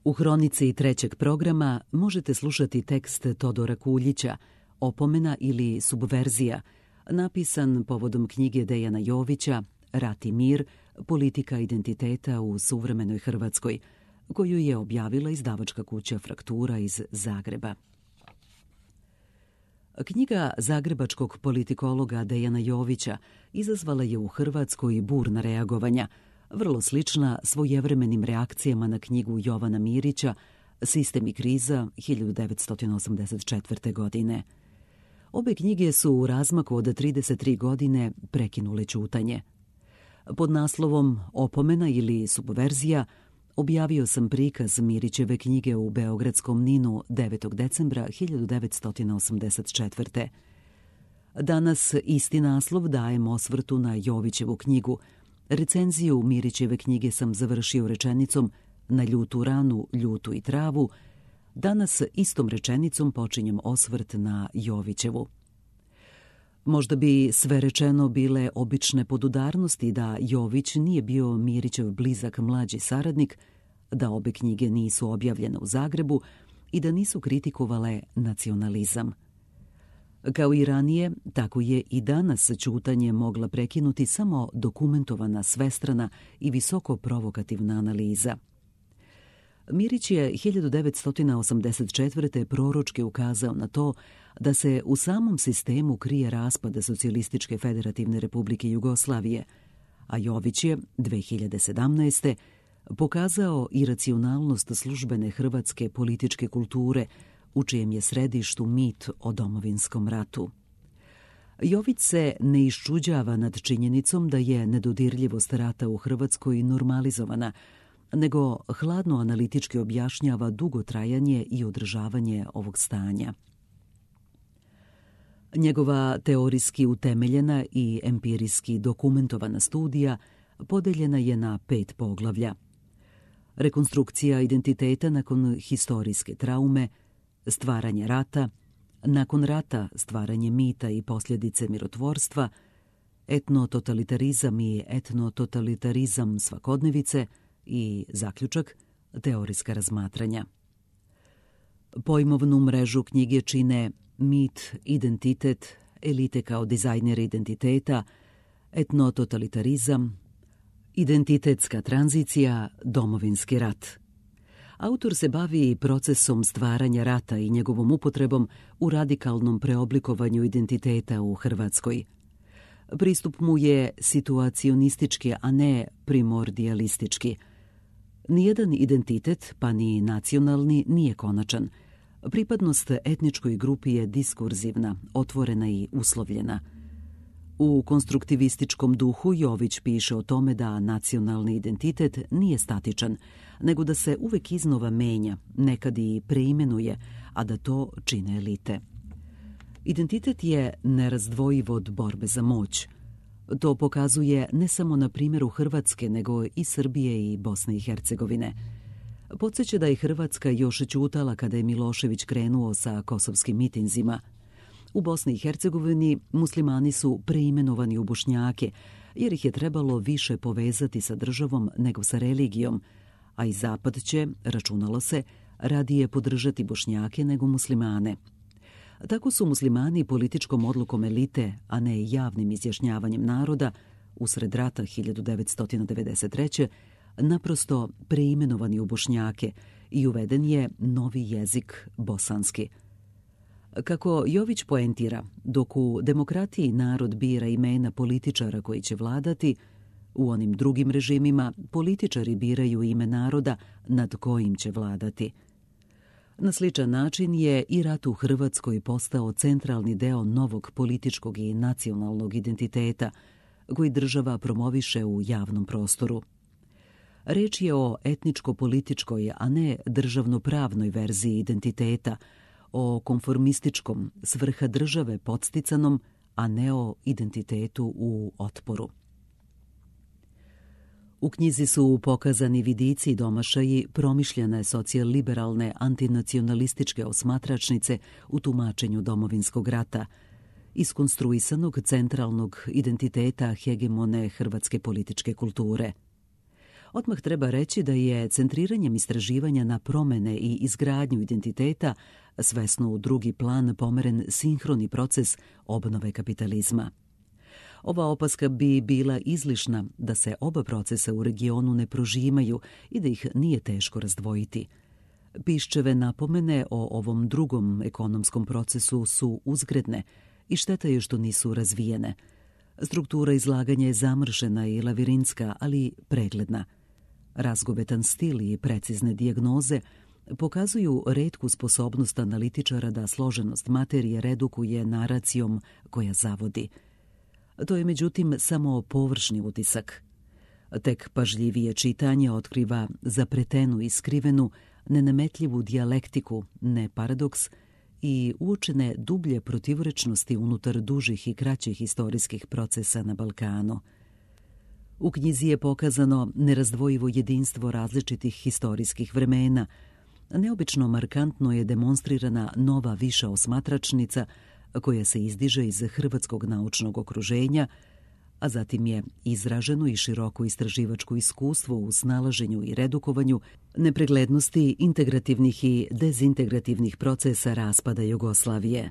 U hronici trećeg programa možete slušati tekst Todora Kuljića Opomena ili subverzija, napisan povodom knjige Dejana Jovića Rat i mir, politika identiteta u suvremenoj Hrvatskoj, koju je objavila izdavačka kuća Fraktura iz Zagreba. Knjiga zagrebačkog politikologa Dejana Jovića izazvala je u Hrvatskoj burna reagovanja, vrlo slična svojevremenim reakcijama na knjigu Jovana Mirića Sistem i kriza 1984. godine. Obe knjige su u razmaku od 33 godine prekinule ćutanje. Pod naslovom Opomena ili subverzija objavio sam prikaz Mirićeve knjige u beogradskom NIN-u 9. decembra 1984. Danas isti naslov dajem osvrtu na Jovićevu knjigu. Recenziju Mirićeve knjige sam završio rečenicom Na ljutu ranu, ljutu i travu. Danas istom rečenicom počinjem osvrt na Jovićevu. Možda bi sve rečeno bile obične podudarnosti da Jović nije bio Mirićev blizak mlađi saradnik, da obe knjige nisu objavljene u Zagrebu i da nisu kritikovale nacionalizam. Kao i ranije, tako je i danas ćutanje mogla prekinuti samo dokumentovana, svestrana i visoko provokativna analiza. Mirić je 1984. proročki ukazao na to da se u samom sistemu krije raspad Socijalističke federativne republike Jugoslavije, a Jović je 2017. pokazao iracionalnost službene hrvatske političke kulture, u čijem je središtu mit o domovinskom ratu. Jović se ne iščuđava nad činjenicom da je nedodirljivost rata u Hrvatskoj normalizovana, nego hladno analitički objašnjava dugotrajanje i održavanje ovog stanja. Njegova teorijski utemeljena i empirijski dokumentovana studija podeljena je na 5 poglavlja. Rekonstrukcija identiteta nakon historijske traume, stvaranje rata, nakon rata stvaranje mita i posljedice mirotvorstva, etnototalitarizam i etnototalitarizam svakodnevice i zaključak, teorijska razmatranja. Pojmovnu mrežu knjige čine mit, identitet, elite kao dizajneri identiteta, etnototalitarizam, identitetska tranzicija, domovinski rat. Autor se bavi procesom stvaranja rata i njegovom upotrebom u radikalnom preoblikovanju identiteta u Hrvatskoj. Pristup mu je situacionistički, a ne primordialistički. Nijedan identitet, pa ni nacionalni, nije konačan. Pripadnost etničkoj grupi je diskurzivna, otvorena i uslovljena. U konstruktivističkom duhu Jović piše o tome da nacionalni identitet nije statičan, nego da se uvek iznova menja, nekad i preimenuje, a da to čine elite. Identitet je nerazdvojiv od borbe za moć. To pokazuje ne samo na primjeru Hrvatske, nego i Srbije i Bosne i Hercegovine. Podsjeća da je Hrvatska još ćutala kada je Milošević krenuo sa kosovskim mitinzima. U Bosni i Hercegovini muslimani su preimenovani u Bošnjake, jer ih je trebalo više povezati sa državom nego sa religijom, a i Zapad će, računalo se, radije podržati Bošnjake nego muslimane. Tako su muslimani političkom odlukom elite, a ne javnim izjašnjavanjem naroda, usred rata 1993. naprosto preimenovani u Bošnjake i uveden je novi jezik bosanski. Kako Jović poentira, dok u demokratiji narod bira imena političara koji će vladati, u onim drugim režimima političari biraju ime naroda nad kojim će vladati. Na sličan način je i rat u Hrvatskoj postao centralni deo novog političkog i nacionalnog identiteta koji država promoviše u javnom prostoru. Reč je o etničko-političkoj, a ne državno-pravnoj verziji identiteta, o konformističkom, s vrha države podsticanom, a ne o identitetu u otporu. U knjizi su pokazani vidici i domašaji promišljene socijal-liberalne antinacionalističke osmatračnice u tumačenju domovinskog rata, iskonstruisanog centralnog identiteta hegemone hrvatske političke kulture. Odmah treba reći da je centriranjem istraživanja na promene i izgradnju identiteta svesno u drugi plan pomeren sinhroni proces obnove kapitalizma. Ova opaska bi bila izlišna da se oba procesa u regionu ne prožimaju i da ih nije teško razdvojiti. Piščeve napomene o ovom drugom ekonomskom procesu su uzgredne i šteta je što nisu razvijene. Struktura izlaganja je zamršena i lavirinska, ali pregledna. Razgovetan stil i precizne dijagnoze pokazuju retku sposobnost analitičara da složenost materije redukuje naracijom koja zavodi. To je međutim samo površni utisak. Tek pažljivije čitanje otkriva zapretenu i skrivenu, nenametljivu dijalektiku, ne paradoks, i uočene dublje protivrečnosti unutar dužih i kraćih istorijskih procesa na Balkanu. U knjizi je pokazano nerazdvojivo jedinstvo različitih historijskih vremena. Neobično markantno je demonstrirana nova viša osmatračnica koja se izdiže iz hrvatskog naučnog okruženja, a zatim je izraženo i široko istraživačko iskustvo u snalaženju i redukovanju nepreglednosti integrativnih i dezintegrativnih procesa raspada Jugoslavije.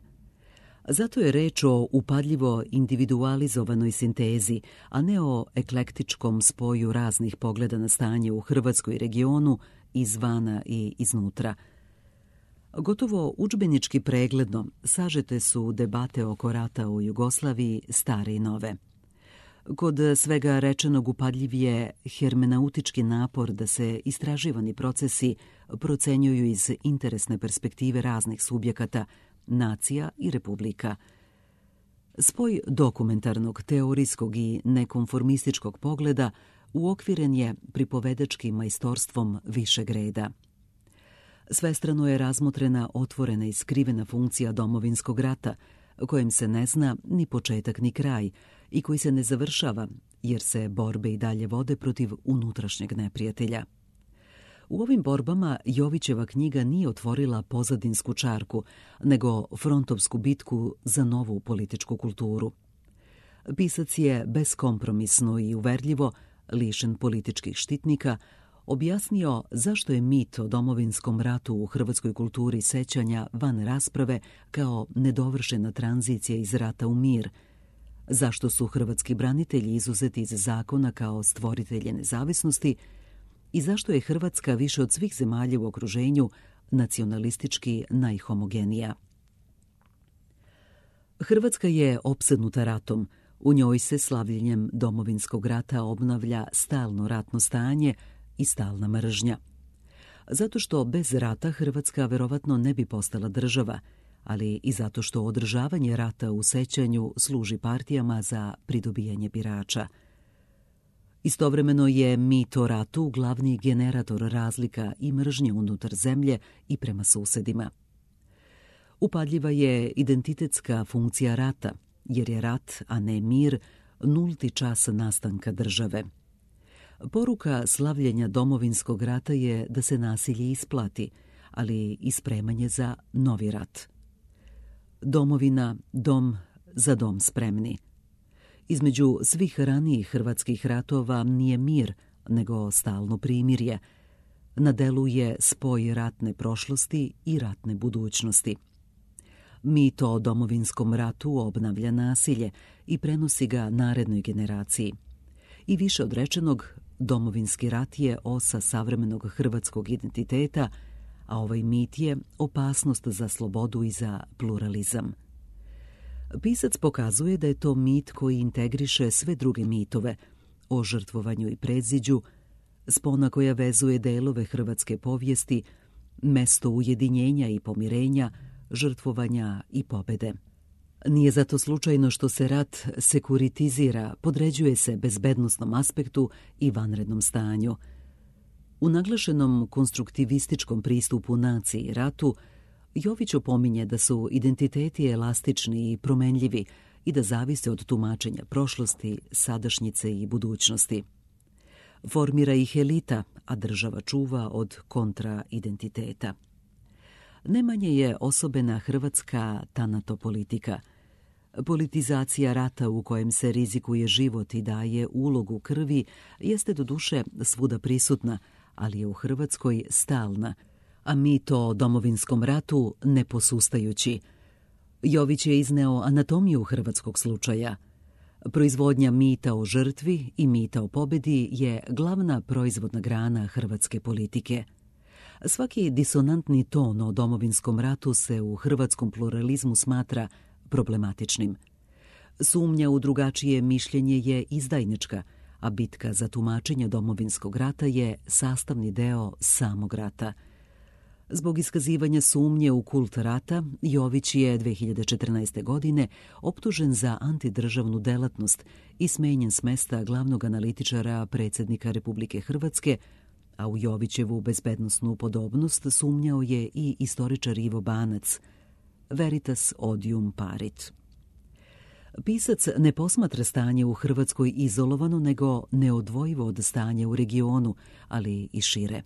Zato je reč o upadljivo individualizovanoj sintezi, a ne o eklektičkom spoju raznih pogleda na stanje u Hrvatskoj regionu, izvana i iznutra. Gotovo udžbenički pregledno sažete su debate oko rata u Jugoslaviji stare i nove. Kod svega rečenog upadljiv je hermenautički napor da se istraživani procesi procenjuju iz interesne perspektive raznih subjekata, nacija i republika. Spoj dokumentarnog, teorijskog i nekonformističkog pogleda uokviren je pripovedačkim majstorstvom višeg reda. Svestrano je razmotrena otvorena i skrivena funkcija domovinskog rata, kojem se ne zna ni početak ni kraj i koji se ne završava, jer se borbe i dalje vode protiv unutrašnjeg neprijatelja. U ovim borbama Jovićeva knjiga nije otvorila pozadinsku čarku, nego frontovsku bitku za novu političku kulturu. Pisac je beskompromisno i uverljivo, lišen političkih štitnika, objasnio zašto je mit o domovinskom ratu u hrvatskoj kulturi sećanja van rasprave kao nedovršena tranzicija iz rata u mir, zašto su hrvatski branitelji izuzeti iz zakona kao stvoritelje nezavisnosti i zašto je Hrvatska više od svih zemalja u okruženju nacionalistički najhomogenija. Hrvatska je opsednuta ratom. U njoj se slavljenjem domovinskog rata obnavlja stalno ratno stanje i stalna mržnja. Zato što bez rata Hrvatska verovatno ne bi postala država, ali i zato što održavanje rata u sećanju služi partijama za pridobijanje birača. Istovremeno je mit o ratu glavni generator razlika i mržnje unutar zemlje i prema susedima. Upadljiva je identitetska funkcija rata, jer je rat, a ne mir, nulti čas nastanka države. Poruka slavljenja domovinskog rata je da se nasilje isplati, ali i spremanje za novi rat. Domovina, dom, za dom spremni. Između svih ranijih hrvatskih ratova nije mir, nego stalno primirje. Na delu je spoj ratne prošlosti i ratne budućnosti. Mit o domovinskom ratu obnavlja nasilje i prenosi ga narednoj generaciji. I više od rečenog, domovinski rat je osa savremenog hrvatskog identiteta, a ovaj mit je opasnost za slobodu i za pluralizam. Pisac pokazuje da je to mit koji integriše sve druge mitove o žrtvovanju i predziđu, spona koja vezuje delove hrvatske povijesti, mesto ujedinjenja i pomirenja, žrtvovanja i pobede. Nije zato slučajno što se rat sekuritizira, podređuje se bezbednosnom aspektu i vanrednom stanju. U naglašenom konstruktivističkom pristupu naciji i ratu, Jović opominje da su identiteti elastični i promenljivi i da zavise od tumačenja prošlosti, sadašnjice i budućnosti. Formira ih elita, a država čuva od kontraidentiteta. Nemanje je osobena hrvatska tanatopolitika. Politizacija rata u kojem se rizikuje život i daje ulogu krvi jeste doduše svuda prisutna, ali je u Hrvatskoj stalna, a mit o domovinskom ratu neposustajući. Jović je izneo anatomiju hrvatskog slučaja. Proizvodnja mita o žrtvi i mita o pobedi je glavna proizvodna grana hrvatske politike. Svaki disonantni ton o domovinskom ratu se u hrvatskom pluralizmu smatra problematičnim. Sumnja u drugačije mišljenje je izdajnička, a bitka za tumačenje domovinskog rata je sastavni deo samog rata. Zbog iskazivanja sumnje u kult rata, Jović je 2014. godine optužen za antidržavnu delatnost i smenjen s mesta glavnog analitičara predsjednika Republike Hrvatske, a u Jovićevu bezbednosnu podobnost sumnjao je i istoričar Ivo Banac. Veritas odium parit. Pisac ne posmatra stanje u Hrvatskoj izolovano, nego neodvojivo od stanja u regionu, ali i šire.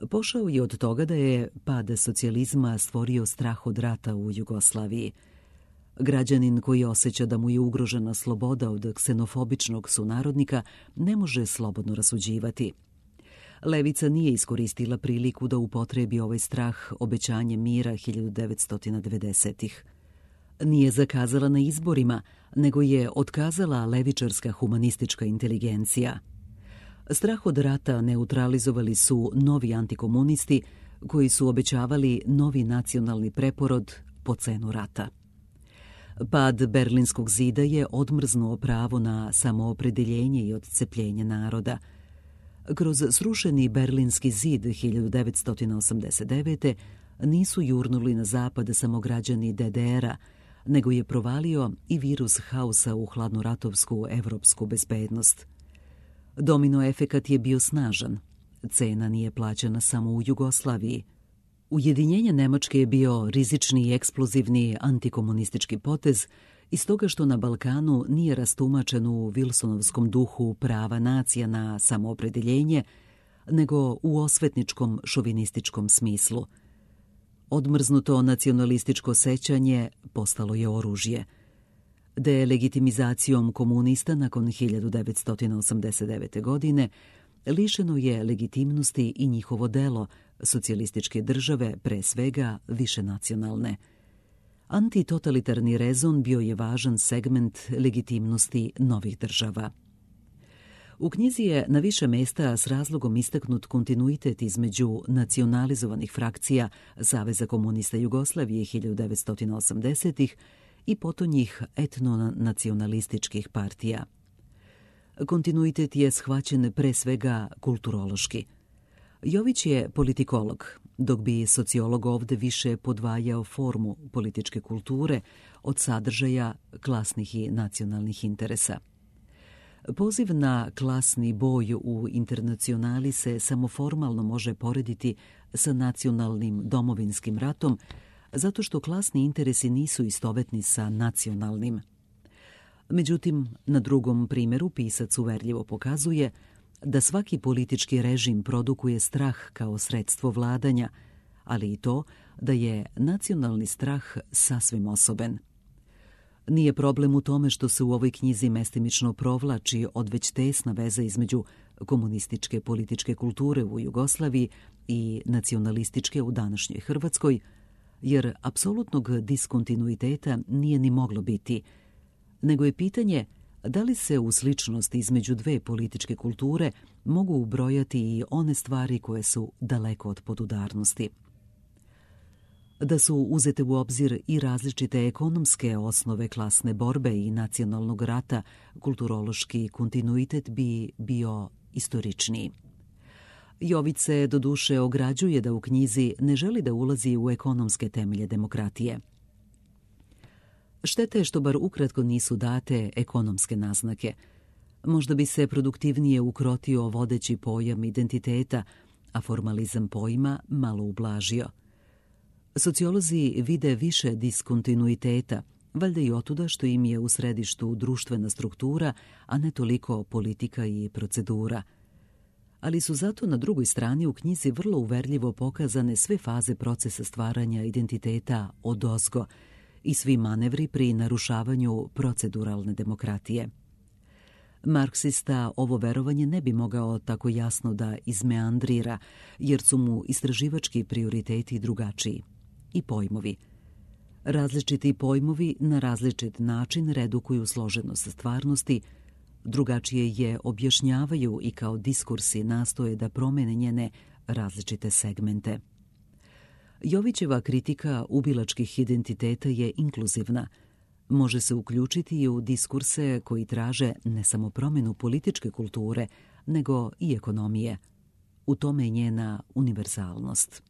Pošao je od toga da je pad socijalizma stvorio strah od rata u Jugoslaviji. Građanin koji osjeća da mu je ugrožena sloboda od ksenofobičnog sunarodnika ne može slobodno rasuđivati. Levica nije iskoristila priliku da upotrebi ovaj strah obećanjem mira 1990-ih. Nije zakazala na izborima, nego je otkazala levičarska humanistička inteligencija. Strah od rata neutralizovali su novi antikomunisti koji su obećavali novi nacionalni preporod po cenu rata. Pad Berlinskog zida je odmrznuo pravo na samoopredeljenje i odcepljenje naroda. Kroz srušeni Berlinski zid 1989. nisu jurnuli na zapad samo građani DDR-a, nego je provalio i virus haosa u hladnoratovsku evropsku bezbednost. Domino efekat je bio snažan. Cena nije plaćena samo u Jugoslaviji. Ujedinjenje Nemačke je bio rizični i eksplozivni antikomunistički potez iz toga što na Balkanu nije rastumačen u Wilsonovskom duhu prava nacija na samoopredeljenje, nego u osvetničkom šovinističkom smislu. Odmrznuto nacionalističko sećanje postalo je oružje. Delegitimizacijom komunista nakon 1989. godine lišeno je legitimnosti i njihovo delo socijalističke države, pre svega višenacionalne. Antitotalitarni rezon bio je važan segment legitimnosti novih država. U knjizi je na više mesta s razlogom istaknut kontinuitet između nacionalizovanih frakcija Saveza komunista Jugoslavije 1980-ih i potonjih etnonacionalističkih partija. Kontinuitet je shvaćen pre svega kulturološki. Jović je politikolog, dok bi sociolog ovde više podvajao formu političke kulture od sadržaja klasnih i nacionalnih interesa. Poziv na klasni boj u internacionali se samo formalno može porediti sa nacionalnim domovinskim ratom, zato što klasni interesi nisu istovetni sa nacionalnim. Međutim, na drugom primjeru pisac uverljivo pokazuje da svaki politički režim produkuje strah kao sredstvo vladanja, ali i to da je nacionalni strah sasvim osoben. Nije problem u tome što se u ovoj knjizi mestimično provlači odveć tesna veza između komunističke političke kulture u Jugoslaviji i nacionalističke u današnjoj Hrvatskoj, jer apsolutnog diskontinuiteta nije ni moglo biti, nego je pitanje da li se u sličnosti između dve političke kulture mogu ubrojati i one stvari koje su daleko od podudarnosti. Da su uzete u obzir i različite ekonomske osnove klasne borbe i nacionalnog rata, kulturološki kontinuitet bi bio istoričniji. Jović se doduše ograđuje da u knjizi ne želi da ulazi u ekonomske temelje demokratije. Štete što bar ukratko nisu date ekonomske naznake. Možda bi se produktivnije ukrotio vodeći pojam identiteta, a formalizam pojma malo ublažio. Sociolozi vide više diskontinuiteta, valjda i otuda što im je u središtu društvena struktura, a ne toliko politika i procedura. Ali su zato na drugoj strani u knjizi vrlo uverljivo pokazane sve faze procesa stvaranja identiteta odozgo i svi manevri pri narušavanju proceduralne demokratije. Marksista ovo verovanje ne bi mogao tako jasno da izmeandrira, jer su mu istraživački prioriteti drugačiji. I pojmovi. Različiti pojmovi na različit način redukuju složenost stvarnosti, drugačije je objašnjavaju i kao diskursi nastoje da promene njene različite segmente. Jovićeva kritika ubilačkih identiteta je inkluzivna. Može se uključiti i u diskurse koji traže ne samo promjenu političke kulture, nego i ekonomije. U tome je njena univerzalnost.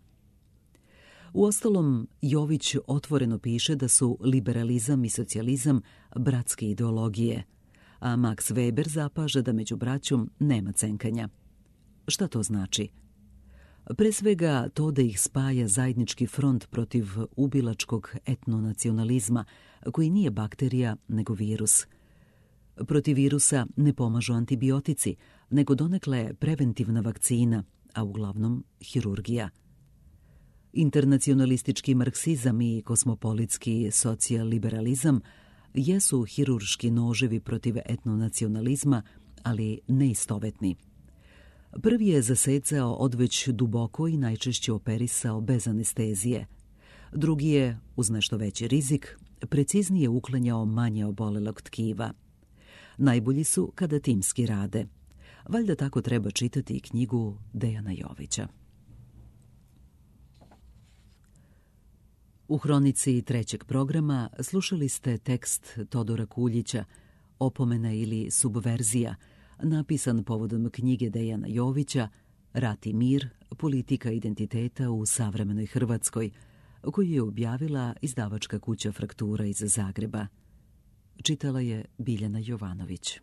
Uostalom, Jović otvoreno piše da su liberalizam i socijalizam bratske ideologije, a Max Weber zapaža da među braćom nema cenkanja. Šta to znači? Pre svega to da ih spaja zajednički front protiv ubilačkog etnonacionalizma, koji nije bakterija nego virus. Protiv virusa ne pomažu antibiotici, nego donekle preventivna vakcina, a uglavnom hirurgija. Internacionalistički marksizam i kosmopolitski socijaliberalizam jesu hirurški noževi protiv etnonacionalizma, ali neistovetni. Prvi je zasecao odveć duboko i najčešće operisao bez anestezije. Drugi je, uz nešto veći rizik, preciznije uklanjao manje obolelog tkiva. Najbolji su kada timski rade. Valjda tako treba čitati i knjigu Dejana Jovića. U hronici trećeg programa slušali ste tekst Todora Kuljića Opomena ili subverzija, napisan povodom knjige Dejana Jovića Rat i mir, politika identiteta u savremenoj Hrvatskoj, koju je objavila izdavačka kuća Fraktura iz Zagreba. Čitala je Biljana Jovanović.